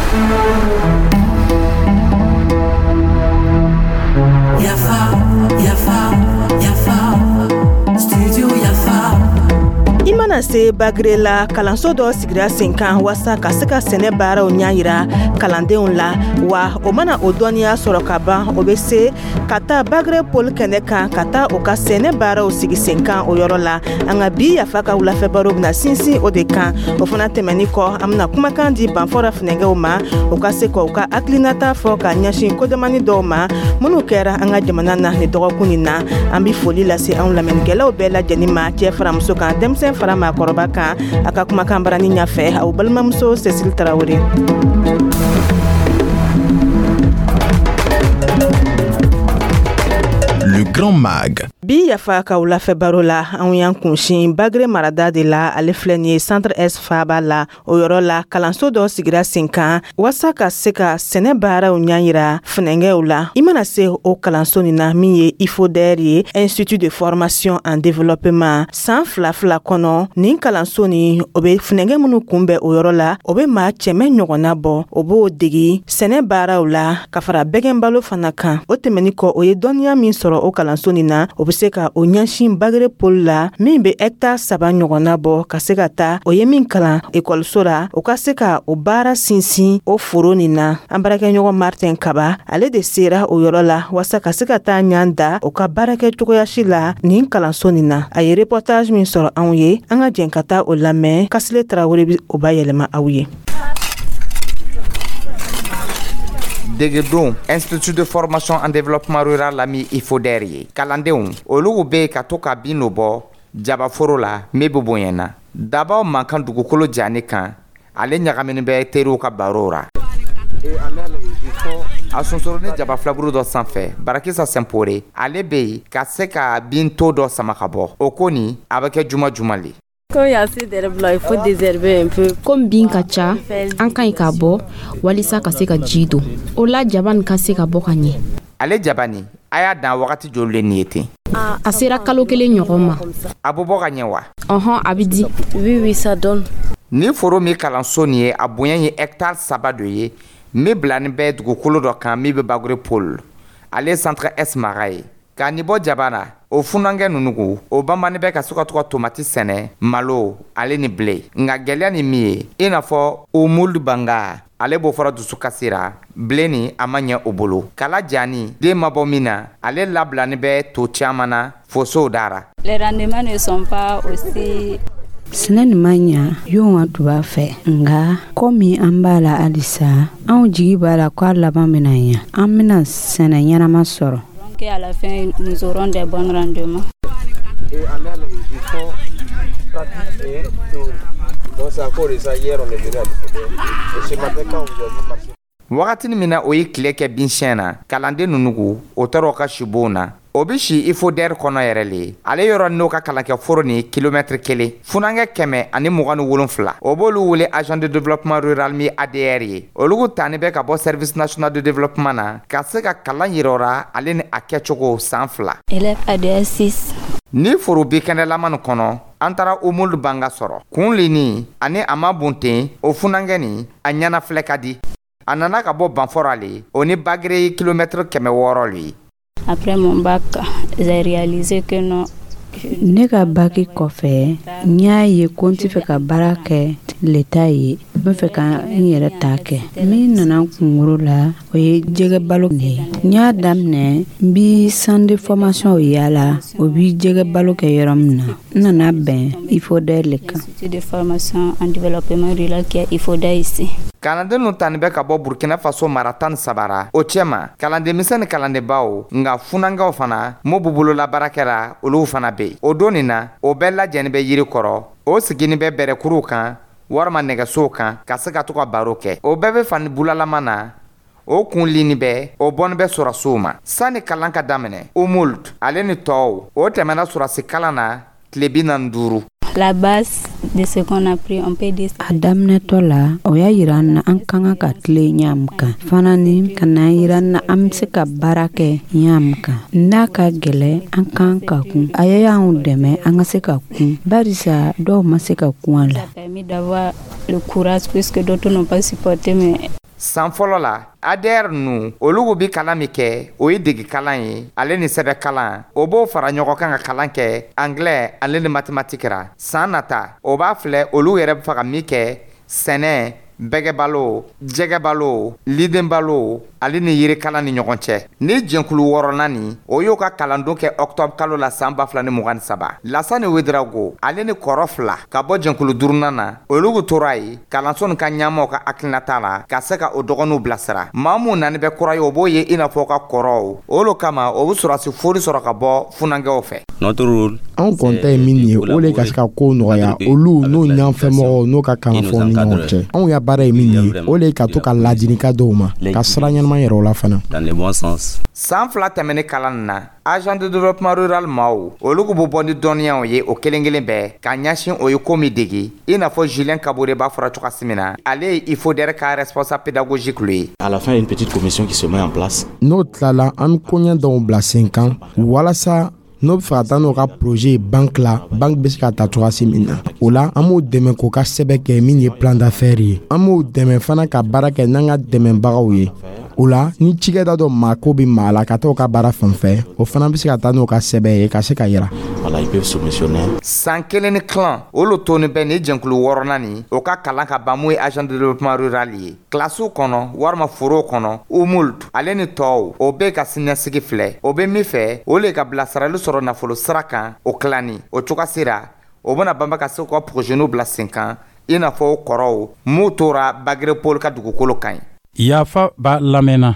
Yafa, yafa, yafa, studio Yafa. I mana se Bagre la, kalanso dɔ sigira sen kan waasa ka se ka sɛnɛ baaraw ɲɛ yira kalandenw la. Wa o mana o dɔnniya sɔrɔ ka ban, o bɛ se ka taa Bagre pôle kɛnɛ kan ka taa o ka sɛnɛ baaraw sigi sen kan o yɔrɔ la. An ka bi Yafa ka wulafɛ baro bɛna sinsin o de kan. O fana tɛmɛni kɔ, an bɛna kumakan di Banfɔra funɛgɛw ma, u ka se k'u ka hakilinata fɔ ka ɲɛsin kodamani dɔw ma minnu kɛra an ka jamana na nin dɔgɔkun nin na. An bɛ foli lase anw lamɛnnikɛlaw bɛɛ lajɛlen ma, cɛ fara muso kan, denmisɛn fara maakɔrɔba kan. A ka kumakan barani ɲɛfɛ, aw balimamuso Cécile Tarawele. Le Grand Mag. Bi Yafa ka wulafɛ baro la, anw y'an kunsin Bagre marada de la. Ale filɛ nin ye Centre Est faaba la. O yɔrɔ la, kalanso dɔ sigira sen kan waasa ka se ka sɛnɛ baaraw ɲɛ yira funɛngɛw la. I mana se o kalanso nin na, min ye IFODER ye, Institut de formation en développement, san 2 2 kɔnɔ, nin kalanso nin, o bɛ funɛngɛ minnu kunbɛn o yɔrɔ la, o bɛ maa 100 ɲɔgɔnna bɔ. O b'o degi sɛnɛ baaraw la ka fara bɛgɛnbalo fana kan. O tɛmɛni kɔ, o ye dɔnniya min sɔrɔ o kalanso nin na, o bɛ se ka o ɲɛsin Bagre pôle la, min bɛ hectare 3 ɲɔgɔnna bɔ, ka se ka taa o ye min kalan ekɔliso la, o ka se ka o baara sinsin o foro nin na. An baarakɛɲɔgɔn Martin Kaba, ale de sera o yɔrɔ la waasa ka se ka taa ɲan da o ka baarakɛ cogoyasi la nin kalanso nin na. A ye reportage min sɔrɔ anw ye, an ka jɛn ka taa o lamɛn. Kasile Tarawele bɛ o bayɛlɛma aw ye. Degedon Institut de formation en développement rural la, min IFODER ye, kalandenw olu bɛ ka to ka bin dɔ bɔ jabaforo la min bɛ bonya na. Dabaw man kan dugukolo jani kan, ale ɲagaminen bɛ teriw ka baro ra. A sonsoro ni jaba filaburu dɔ sanfɛ, Barakisa Sɛnpore, ale bɛ yen ka se ka binto dɔ sama ka bɔ o ko nin, a bɛ kɛ juma juma le. Komi bin ka ca, an ka ɲi k'a bɔ walisa ka se ka ji don o la, jaba nin ka se ka bɔ ka ɲɛ. Ale jaba nin, a y'a dan wagati joli le nin ye ten? A sera kalo 1 ɲɔgɔn ma. A bɛ bɔ ka ɲɛ wa? Ɔhɔn, a bɛ di. Ni foro min kalanso nin ye, a bonya ye hectare 3 dɔ ye, min bilani bɛ dugukolo dɔ kan min bɛ Bagre pôle, ale Centre Est mara ye. K'a nin bɔ jaba la, o funankɛ ninnu, o banbani bɛ ka se ka to ka tomati sɛnɛ, malo ale ni blé. Nka gɛlɛya ni min ye, i n'a fɔ Umulu Banga, ale b'o fɔra dusukasi ra, blé nin a ma ɲɛ o bolo. Kala jani den ma bɔ min na, ale labilani bɛ to caman na fosow dara. Les rendements ne sont pas aussi Sɛnɛ nin ma ɲa yon ka tun b'a fɛ, nka komi an b'a la halisa, anw jigi b'a la k'a laban bɛna ɲa, an bɛna sɛnɛ ɲɛnama sɔrɔ. Qu'à la fin nous aurons des bons rendements. Wagatini min na o ye tile kɛ binsiyɛn na, kalanden ninnu, o taara o ka sibon na. O bɛ si IFODER kɔnɔ yɛrɛ le. Ale yɔrɔ n'o ka kalankɛ foro ni kilomɛtiri 1. Funankɛ 127, o b'olu wele agent de développement rural, min ADR ye. Olu tani bɛ ka bɔ Service national de développement na ka se ka kalan yira o ra, ale ni a kɛcogo, san 2. Élève ADR 6. Ni foro bi kɛnɛlama nin kɔnɔ, an taara Umulu Banga sɔrɔ kun lini ani a ma bon ten. O funankɛ nin, a ɲɛna filɛ ka di. A nana ka bɔ Banfɔra le, o ni Bagre ye kilomɛtiri 600 le ye. Après mon bac, j'ai réalisé que non. Ne ka baki kɔfɛ, n y'a ye ko n tɛ fɛ ka baara kɛ leta ye, n bɛ fɛ ka n yɛrɛ ta kɛ. Min nana n kunkolo la, o ye jɛgɛ balo de ye. N y'a daminɛ, n bi centre de formation yaala, o bi jɛgɛ balo kɛ yɔrɔ min na. N nana bɛn IFODER le kan. Institut de formation en développement rural qui est IFODER ici. Kalanden ninnu tani bɛ ka bɔ Burkina Faso mara 13 ra. O cɛma, kalandenmisɛn ni kalandenbaw, nka funankɛw fana mun b'u bolola baara kɛra, olu fana bɛ yen. O don nin na, o bɛɛ lajɛlen bɛ yiri kɔrɔ, o sigini bɛ bɛrɛkuruw kan walima nɛgɛsow kan ka se ka to ka baro kɛ. O bɛɛ bɛ fani bulalama na, o kun lini bɛ, o bɔnni bɛ sɔrɔsiw ma. Sani kalan ka daminɛ, Umuld ale ni tɔw, o tɛmɛna sɔrɔsi kalan na tile 45. La base de ce qu'on a pris, on peut dire. A daminɛtɔ la, o y'a yira an na an ka kan ka tile ɲa min kan fana, ni ka na yira an na an bɛ se ka baara kɛ ɲa min kan. N'a ka gɛlɛ, an kan ka kun. A y'anw dɛmɛ an ka se ka kun, barisa dɔw ma se ka kun a la. Ça a permis d'avoir le courage puisque d'autres n'ont pas supporté, mais San fɔlɔ la, ADR nu olugu bi kalan min kɛ, o ye degikalan ye ale ni sɛbɛkalan. O b'o fara ɲɔgɔn kan ka kalan kɛ anglais ale ni mathématique ra. San nata, o b'a filɛ olu yɛrɛ bɛ fɛ ka min kɛ: sɛnɛ, bɛgɛbalo, jɛgɛbalo, lidenbalo ale ni yirikalan ni ɲɔgɔn cɛ. Ni jɛnkulu wɔɔrɔnan nin, o y'o ka kalandon kɛ octobre kalo la san 2023. Lasani Wedrago ale ni kɔrɔ fila ka bɔ jɛnkulu duurunan na, olugu tora ye kalanso nin ka ɲɛmaw ka hakilinata la ka se ka o dɔgɔninw bilasira. Maa mun nani bɛ kura ye, o b'o ye i n'a fɔ ka kɔrɔw. O lo kama o bɛ sɔrɔsi fori sɔrɔ ka bɔ funankɛw fɛ. Anw kɔni ta ye min ye, o le ka se ka kow nɔgɔya olu n'o ɲɛfɛmɔgɔw n'o ka kalanfaw ni ɲɔgɔn cɛ. Anw ya baara ye min ye, o le ka to ka ladilikan dɔw ma ka sira ɲɛnama yɛrɛ o la fana. San 2 tɛmɛnen kalan na, agent de développement rural maaw olu bɛ bɔ ni dɔnniyaw ye o kelen kelen bɛɛ ka ɲɛsin o ye ko min dege, i n'a fɔ Julien Kabore b'a fɔra cogoya min na, ale ye IFODER ka responsable pédagogique ye. À la fin, une petite commission qui se met en place. N'o tilala, an bɛ koɲɛ dɔw bila sen kan walasa n'o bɛ fɛ ka taa n'o ka projet ye banque la, banque bɛ se ka ta cogoya min na. O la, an b'o dɛmɛ k'o ka sɛbɛn kɛ min ye plan d'affaires ye. An b'o dɛmɛ fana ka baara kɛ n'an ka dɛmɛbagaw ye. O la, ni cikɛda dɔ mako bɛ maa la ka taa o ka baara fan fɛ, o fana bɛ se ka taa n'o ka sɛbɛn ye ka se ka yira. Voilà, ils peuvent soumissionner. San 1 ni tilan olu toni bɛ ni jɛnkulu wɔɔrɔnan nin, o ka kalan ka ban mun ye agent de développement rural ye kilasiw kɔnɔ walima forow kɔnɔ, umult ale ni tɔw, o bɛ ka siniɲɛsigi filɛ. O bɛ min fɛ, o le ka bilasirali sɔrɔ nafolo sira kan. O tilani o cogoya sera, o bɛna banba ka se k'u ka projet bila sen kan, i n'a fɔ o kɔrɔw m'u tora Bagre Pôle ka dugukolo kan ye. Yafa b'a lamɛnna.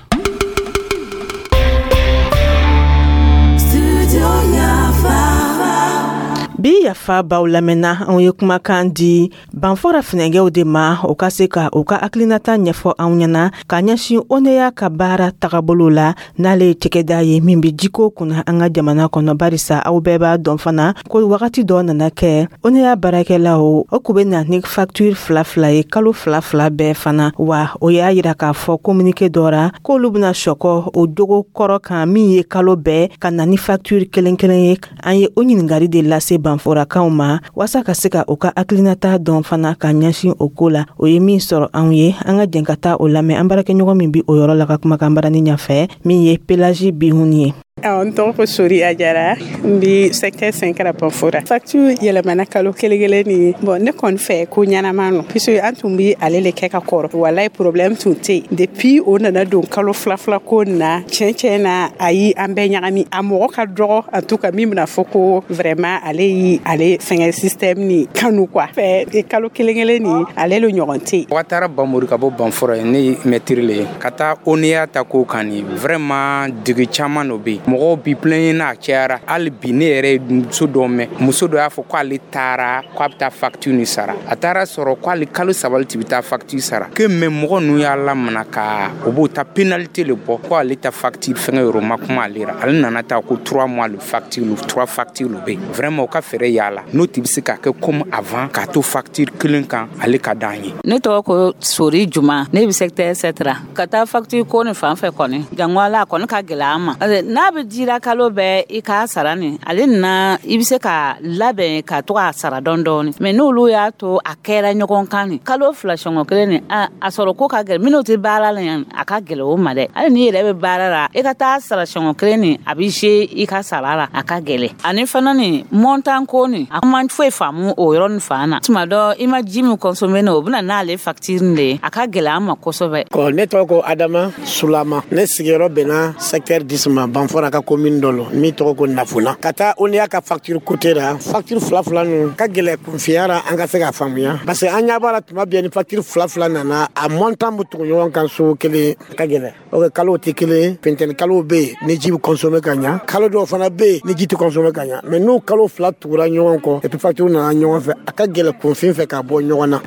Bi yafa baw lamɛnna, anw ye kumakan di Banfora finɛgɛw de ma, o ka se ka u ka hakilinata ɲɛfɔ anw ɲɛna ka ɲɛsin ONEA ka baara tagabolo la, n'ale ye cɛkɛda ye min bɛ jiko kunna an ka jamana kɔnɔ. Barisa aw bɛɛ b'a dɔn fana ko wagati dɔ nana kɛ, ONEA baarakɛlaw o kun bɛ na ni facture fila fila ye kalo fila fila bɛɛ fana. Wa o y'a yira k'a fɔ communiqué dɔ ra k'olu bɛna sɔkɔ o jogo kɔrɔ kan min ye kalo bɛɛ ka na ni facture kelen kelen ye. An ye o ɲininkali de lase Banforakaw ma waasa ka se ka u ka hakilinata dɔn fana ka ɲɛsin o ko la. O ye min sɔrɔ anw ye, an ka jɛn ka taa o lamɛn an baarakɛɲɔgɔn min bi o yɔrɔ la ka kumakan barani ɲɛfɛ, min ye Pelagie Bihuni ye. N tɔgɔ ko Sori Ajara, n bi secteur 5 la Banfora. Facture yɛlɛmana kalo kelen kelen ni bon, ne kɔni fɛ ko ɲɛnama nɔ, puisque an tun bi ale le kɛ ka kɔrɔ. Walayi, problème tun tɛ yen. Depuis o nana don kalo fila fila ko na, tiɲɛ tiɲɛ na, ayi, an bɛɛ ɲagami. A mɔgɔ ka dɔgɔ en tout cas min bɛna fɔ ko vraiment ale yi ale fɛngɛ système ni kanu quoi. Fɛ kalo kelen kelen ni ale le ɲɔgɔn tɛ yen. Watara Bamori ka bɔ Banfora ye, ne ye maître le ye. Ka taa ONEA ta ko kan ni vraiment dege caman dɔ bɛ yen. Mɔgɔw bi plaigner n'a cayara. Hali bi ne yɛrɛ ye muso dɔ mɛn, muso dɔ y'a fɔ k'ale taara k'a bɛ taa facture ni sara, a taara sɔrɔ k'ale kalo 3 ti bɛ taa facture sara que mais mɔgɔ ninnu y'a lamana ka o b'o ta pénalité le bɔ ko ale ta facture fɛngɛ yɔrɔ ma kuma ale ra. Ale nana taa ko 3 mois le facture, le 3 facture le bɛ yen. Vraiment, o ka fɛɛrɛ y'a la n'o ti bɛ se ka kɛ comme avant k'a to facture kelen kan, ale ka d'an ye. Ne tɔgɔ ko Sori Juma, ne bɛ secteur 7 ra. Ka taa facture ko ni fan fɛ kɔni, jango ala a kɔni ka gɛlɛ an ma, n'a bɛ dira kalo bɛɛ i k'a sara nin ale nana, i bɛ se ka labɛn ka to k'a sara dɔɔni dɔɔni. Mais n'olu y'a to a kɛra ɲɔgɔn kan nin kalo 2 siɲɛ kelen nin, a sɔrɔ ko ka gɛlɛn. Minnu tɛ baara la yan, a ka gɛlɛn o ma dɛ. Hali n'i yɛrɛ bɛ baara la, i ka taa sara siɲɛ kelen nin, a bɛ se i ka sara la, a ka gɛlɛn. Ani fana nin montant ko nin, a man foyi faamu o yɔrɔ nin fan na. Tuma dɔ i ma ji min consommer nin, o bɛna n'ale facture nin de ye, a ka gɛlɛn an ma kosɛbɛ. Ne tɔgɔ ko Adama Sulama, ne sigiyɔrɔ bɛnna secteur 10 ma, Banfora ka commune dɔ lɔ min tɔgɔ ko Nafuna. Ka taa ONEA ka facture côté la, facture fila fila ninnu ka gɛlɛ kunfiya la an ka se k'a faamuya, parce que an ɲɛ b'a la tuma bɛɛ ni facture fila fila nana, a montant bɛ tugu ɲɔgɔn kan so kelen, a ka gɛlɛn. O kalow tɛ kelen, funteni kalow bɛ yen ni ji bɛ consommer ka ɲa, kalo dɔw fana bɛ yen ni ji tɛ consommer ka ɲa. Mais n'o kalo fila tugura ɲɔgɔn kɔ et puis facture nana ɲɔgɔn fɛ, a ka gɛlɛn kunfin fɛ ka bɔ ɲɔgɔn na.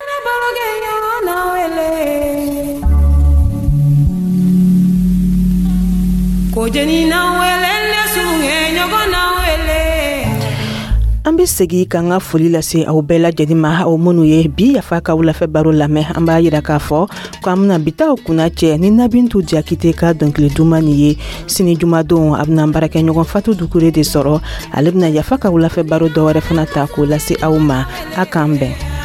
An bɛ segin k'an ka foli lase aw bɛɛ lajɛlen ma, aw minnu ye bi yafa ka wulafɛ baro lamɛn. An b'a yira k'a fɔ k'an bɛna bitaw kunna cɛ ni Nabintu Jakite ka dɔnkili duman nin ye. Sini jumadon, a bɛna baarakɛɲɔgɔn Fatu Dukure de sɔrɔ, ale bɛna yafa ka wulafɛ baro dɔwɛrɛ fana ta k'o lase aw ma. A k'an bɛn.